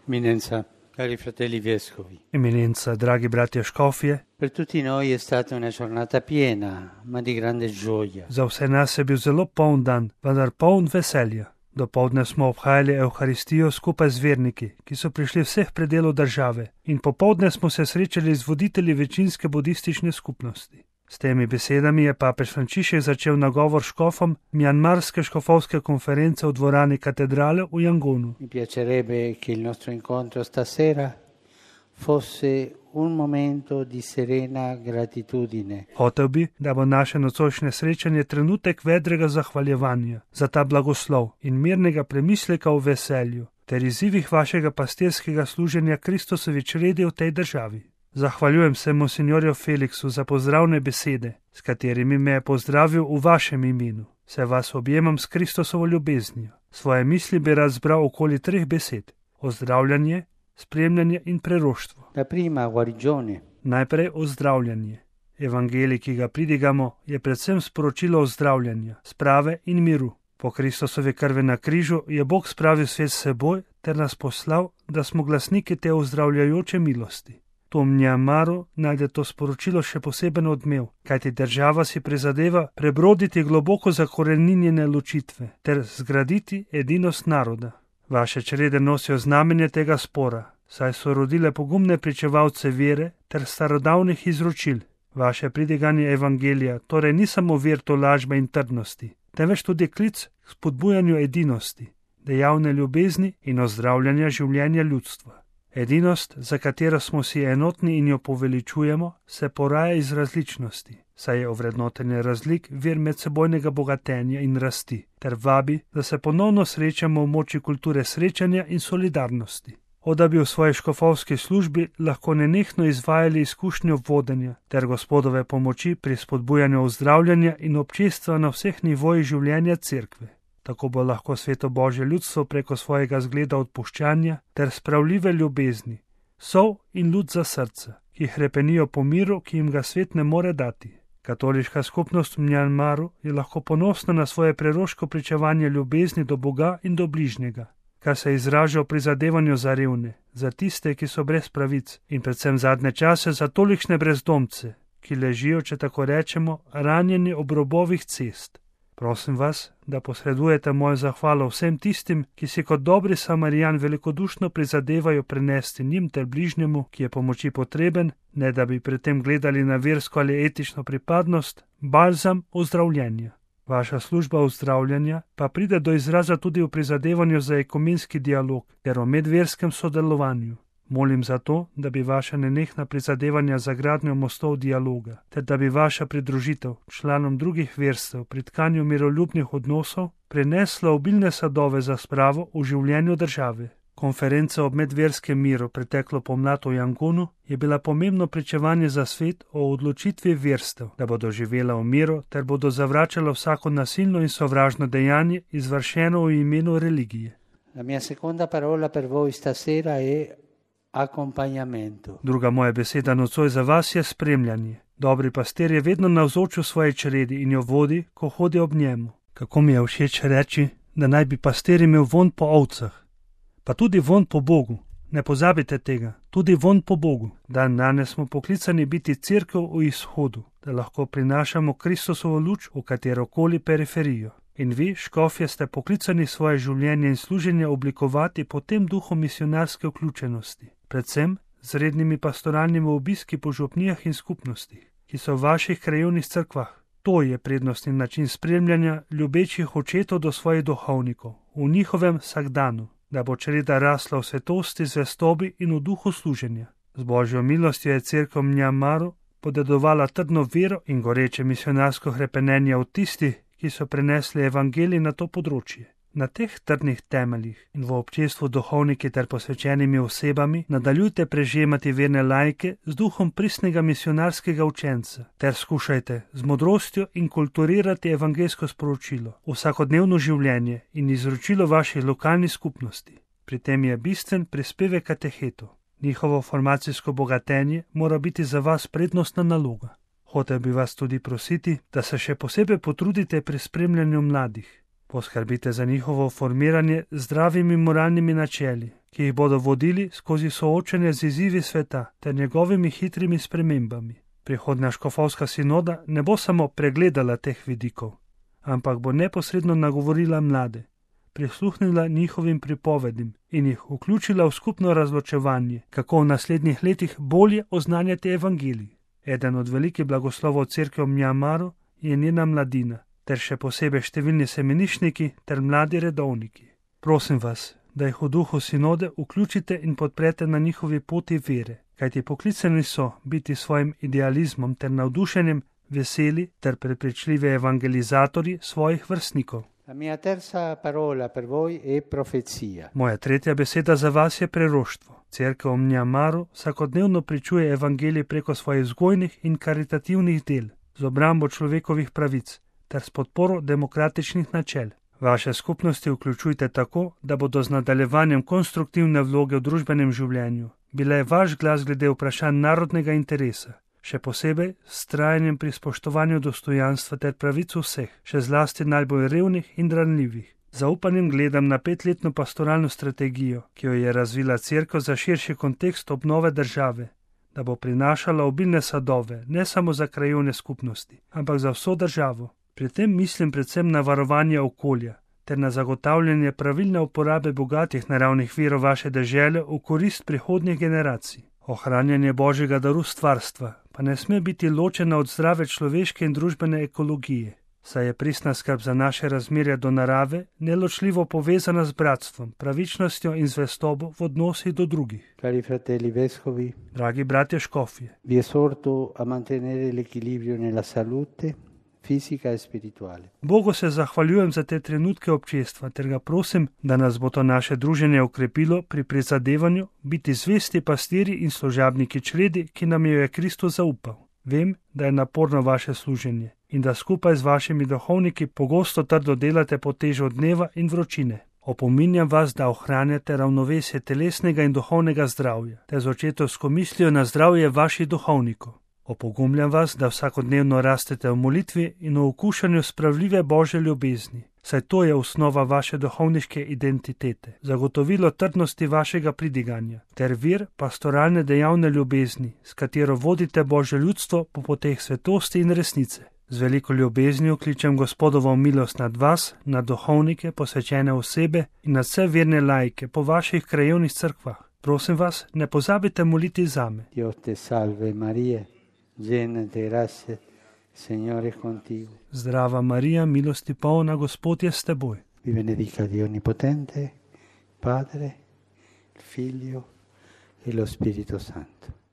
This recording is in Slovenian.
Eminenza, cari fratelli vescovi, Eminenza, dragi bratje škofje, per tutti noi è stata una giornata piena, ma di grande gioia. za vse nas je bil zelo poln dan, vendar poln veselja. Dopoldne smo obhajali Evharistijo skupaj z verniki, ki so prišli vseh predelov države, in popoldne smo se srečali z voditelji večinske budistične skupnosti. S temi besedami je papež Frančišek začel nagovor škofom Mjanmarske škofovske konference v dvorani katedrale v Jangonu. Mi piacerebbe che il nostro incontro stasera fosse un momento di serena gratitudine. Hotel bi, da bo naše nocojšnje srečanje trenutek vedrega zahvaljevanja za ta blagoslov in mirnega premisleka o veselju ter izzivih vašega pastirskega služenja Kristusovi čredi v tej državi. Zahvaljujem se monsignorju Feliksu za pozdravne besede, s katerimi me je pozdravil v vašem imenu. Se vas objemam s Kristusovo ljubeznijo. Svoje misli bi razbral okoli 3 besed: ozdravljanje, spremljanje in preroštvo. La prima, guarigione. Najprej ozdravljanje. Evangelij, ki ga pridigamo, je predvsem sporočilo ozdravljanja, sprave in miru. Po Kristusovi krvi na križu je Bog spravil svet s seboj ter nas poslal, da smo glasniki te ozdravljajoče milosti. To v Mjanmaru najde to sporočilo še poseben odmev, kajti država si prizadeva prebroditi globoko zakoreninjene ločitve ter zgraditi edinost naroda. Vaše črede nosijo znamenje tega spora, saj so rodile pogumne pričevalce vere ter starodavnih izročil. Vaše pridiganje evangelija torej ni samo vir tolažbe in trdnosti, temveč tudi klic k spodbujanju edinosti, dejavne ljubezni in ozdravljanja življenja ljudstva. Edinost, za katero smo si enotni in jo poveličujemo, se poraja iz različnosti, saj je ovrednotenje razlik vir medsebojnega bogatenja in rasti, ter vabi, da se ponovno srečamo v moči kulture srečanja in solidarnosti. Da bi v svoji škofovski službi lahko nenehno izvajali izkušnjo vodenja ter Gospodove pomoči pri spodbujanju ozdravljanja in občestva na vseh nivojih življenja cerkve. Tako bo lahko sveto Božje ljudstvo preko svojega zgleda odpuščanja ter spravljive ljubezni, sol in lud za srce, ki hrepenijo po miru, ki jim ga svet ne more dati. Katoliška skupnost v Mjanmaru je lahko ponosna na svoje preroško pričevanje ljubezni do Boga in do bližnjega, kar se izraža v prizadevanju za revne, za tiste, ki so brez pravic, in predvsem zadnje čase za tolikšne brezdomce, ki ležijo, če tako rečemo, ranjeni ob robovih cest. Prosim vas, da posredujete mojo zahvalo vsem tistim, ki si kot dobri Samarijan velikodušno prizadevajo prenesti njim ter bližnjemu, ki je pomoči potreben, ne da bi pri tem gledali na versko ali etično pripadnost, balzam ozdravljenja. Vaša služba ozdravljanja pa pride do izraza tudi v prizadevanju za ekumenski dialog ter o medverskem sodelovanju. Molim za to, da bi vaša nenehna prizadevanja za gradnjo mostov dialoga, ter da bi vaša pridružitev članom drugih verstev pri tkanju miroljubnih odnosov prinesla obilne sadove za spravo v življenju države. Konferenca o medverskem miru preteklo pomlad v Jangonu je bila pomembno pričevanje za svet o odločitvi verstev, da bodo živela v miru ter bodo zavračala vsako nasilno in sovražno dejanje izvršeno v imenu religije. La mia seconda parola per voi stasera è accompagnamento. Druga moja beseda nocoj za vas je spremljanje. Dobri pastir je vedno navzoč v svoji čredi in jo vodi, ko hodi ob njemu. Kako mi je všeč reči, da naj bi pastir imel vonj po ovcah. Pa tudi vonj po Bogu. Ne pozabite tega, tudi vonj po Bogu. Danes smo poklicani biti cerkev v izhodu, da lahko prinašamo Kristusovo luč v katerokoli periferijo. In vi, škofje, ste poklicani svoje življenje in služenje oblikovati po tem duhu misionarske vključenosti, predvsem z rednimi pastoralnimi obiski po župnijah in skupnostih, ki so v vaših krajevnih cerkvah. To je prednostni način spremljanja ljubečih očetov do svojih duhovnikov v njihovem vsakdanu, da bo čreda rasla v svetosti, zvestobi in v duhu služenja. Z Božjo milostjo je cerkev v Mjanmaru podedovala trdno vero in goreče misionarsko hrepenenje od tistih, ki so prenesli evangelij na to področje. Na teh trdnih temeljih in v občestvu duhovniki ter posvečenimi osebami nadaljujte prežemati verne laike z duhom pristnega misionarskega učenca ter skušajte z modrostjo inkulturirati evangeljsko sporočilo, vsakodnevno življenje in izročilo vaših lokalnih skupnosti. Pri tem je bistven prispevek katehetov. Njihovo formacijsko bogatenje mora biti za vas prednostna naloga. Hotel bi vas tudi prositi, da se še posebej potrudite pri spremljanju mladih. Poskrbite za njihovo formiranje z zdravimi moralnimi načeli, ki jih bodo vodili skozi soočenje z izzivi sveta ter njegovimi hitrimi spremembami. Prihodnja škofovska sinoda ne bo samo pregledala teh vidikov, ampak bo neposredno nagovorila mlade, prisluhnila njihovim pripovedim in jih vključila v skupno razločevanje, kako v naslednjih letih bolje oznanjati evangelij. Eden od velikih blagoslovov cerkve v Mjanmaru je njena mladina, ter še posebej številni semeniščniki ter mladi redovniki. Prosim vas, da jih v duhu sinode vključite in podprete na njihovi poti vere, kajti poklicani so biti svojim idealizmom ter navdušenjem veseli ter prepričljivi evangelizatorji svojih vrstnikov. La mia terza parola per voi è profezia. Moja tretja beseda za vas je preroštvo. Cerkev v Mjanmaru vsakodnevno pričuje evangelij preko svojih vzgojnih in karitativnih del, z obrambo človekovih pravic ter s podporo demokratičnih načel. Vaše skupnosti vključujte tako, da bodo z nadaljevanjem konstruktivne vloge v družbenem življenju bile vaš glas glede vprašanj narodnega interesa, še posebej s trajanjem pri spoštovanju dostojanstva ter pravic vseh, še zlasti najbolj revnih in ranljivih. Zaupanjem gledam na 5-letno pastoralno strategijo, ki jo je razvila cerkev za širši kontekst obnove države, da bo prinašala obilne sadove ne samo za krajevne skupnosti, ampak za vso državo. Pri tem mislim predvsem na varovanje okolja ter na zagotavljanje pravilne uporabe bogatih naravnih virov vaše dežele v korist prihodnjih generacij. Ohranjanje božjega daru stvarstva pa ne sme biti ločena od zdrave človeške in družbene ekologije, saj je pristna skrb za naše razmerje do narave neločljivo povezana z bratstvom, pravičnostjo in zvestobo v odnosih do drugih. Cari fratelli vescovi, Dragi bratje škofje, vi esorto a mantenere l'equilibrio nella salute fisica e spirituale. Bogu se zahvaljujem za te trenutke občestva ter ga prosim, da nas bo to naše druženje okrepilo pri prizadevanju biti zvesti pastiri in služabniki čredi, ki nam jo je Kristus zaupal. Vem, da je naporno vaše služenje in da skupaj z vašimi duhovniki pogosto trdo delate pod težo dneva in vročine. Opominjam vas, da ohranjate ravnovesje telesnega in duhovnega zdravja, te z očetovsko mislijo na zdravje vaših duhovnikov. Opogumljam vas, da vsakodnevno rastete v molitvi in v okušanju spravljive Božje ljubezni, saj to je osnova vaše duhovniške identitete, zagotovilo trdnosti vašega pridiganja, ter vir pastoralne dejavne ljubezni, s katero vodite Božje ljudstvo po poteh svetosti in resnice. Z veliko ljubeznijo kličem Gospodovo milost nad vas, nad duhovnike, posvečene osebe in nad vse verne laike po vaših krajevnih cerkvah. Prosim vas, ne pozabite moliti zame. Dio te salve Maria, llena de gracia, Signore è contigo. Zdrava Marija, milosti polna, Gospod je s teboj. Vi benedica Dio Onnipotente, Padre, il Figlio e lo Spirito Santo.